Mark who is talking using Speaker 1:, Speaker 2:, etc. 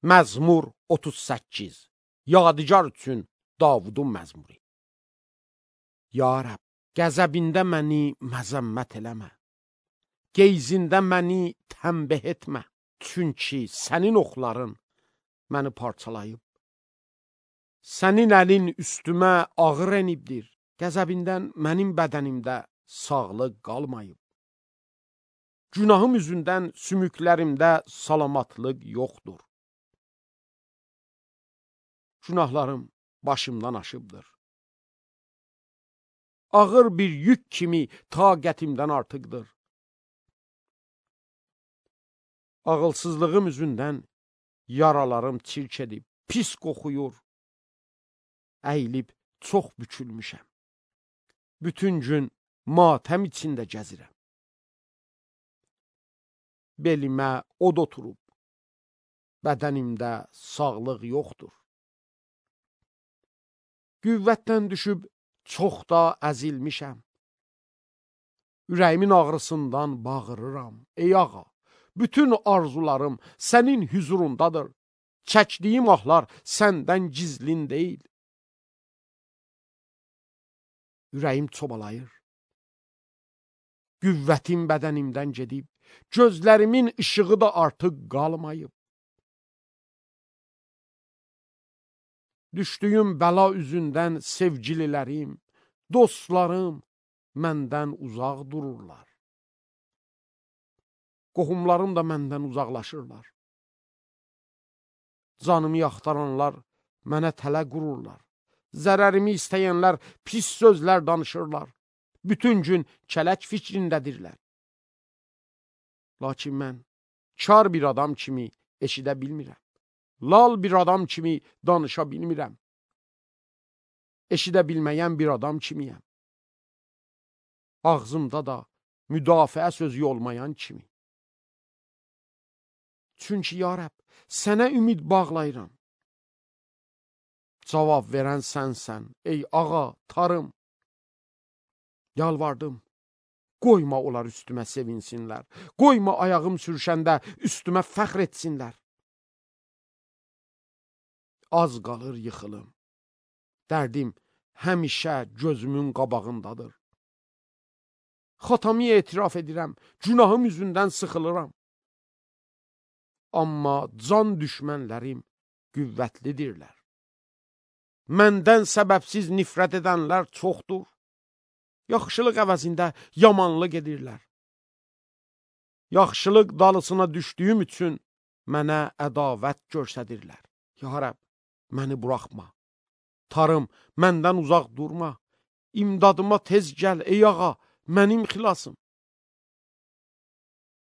Speaker 1: Məzmur 38. Yadigar üçün Davudun məzmuru. Ya Rəbb, qəzəbində məni məzəmmət eləmə. Geyzində məni tənbih etmə. Çünki sənin oxların məni parçalayıb. Sənin əlin üstümə ağır enibdir. Qəzəbindən mənim bədənimdə sağlıq qalmayıb. Günahım üzündən sümüklərimdə salamatlıq yoxdur. Günahlarım başımdan aşıbdır. Ağır bir yük kimi taqətimdən artıqdır. Ağılsızlığım üzündən yaralarım çirk edib, pis qoxuyur. Əyilib çox bükülmüşəm. Bütün gün matəm içində gəzirəm. Belimə od oturub, bədənimdə sağlıq yoxdur. Qüvvətdən düşüb çox da əzilmişəm. Ürəyimin ağrısından bağırıram. Ey ağa, bütün arzularım sənin hüzurundadır. Çəkdiyim ahlar səndən gizlin deyil. Ürəyim çobalayır. Qüvvətim bədənimdən gedib, gözlərimin işığı da artıq qalmayıb. Düşdüyüm bəla üzündən sevgililərim, dostlarım məndən uzaq dururlar. Qohumlarım da məndən uzaqlaşırlar. Canımı yaxtaranlar mənə tələ qururlar. Zərərimi istəyənlər pis sözlər danışırlar. Bütün gün kələk fikrindədirlər. Lakin mən kar bir adam kimi eşidə bilmirəm. Lal bir adam kimi danışa bilmirəm. Eşidə bilməyən bir adam kimiyəm. Ağzımda da müdafiə sözü olmayan kimi. Çünki ya Rəbb, sənə ümid bağlayıram. Cavab verən sənsən, ey ağa, tarım. Yalvardım, qoyma onlar üstümə sevinsinlər. Qoyma ayağım sürüşəndə üstümə fəxr etsinlər. Az qalır yıxılım. Dərdim həmişə gözümün qabağındadır. Xatamı etiraf edirəm, günahım üzündən sıxılıram. Amma can düşmənlərim qüvvətlidirlər. Məndən səbəbsiz nifrət edənlər çoxdur. Yaxşılıq əvəzində yamanlıq edirlər. Yaxşılıq dalısına düşdüyüm üçün mənə ədavət göstərirlər. Ya Rəbb, məni buraxma. Tarım, məndən uzaq durma. İmdadıma tez gəl, ey ağa, mənim xilasım.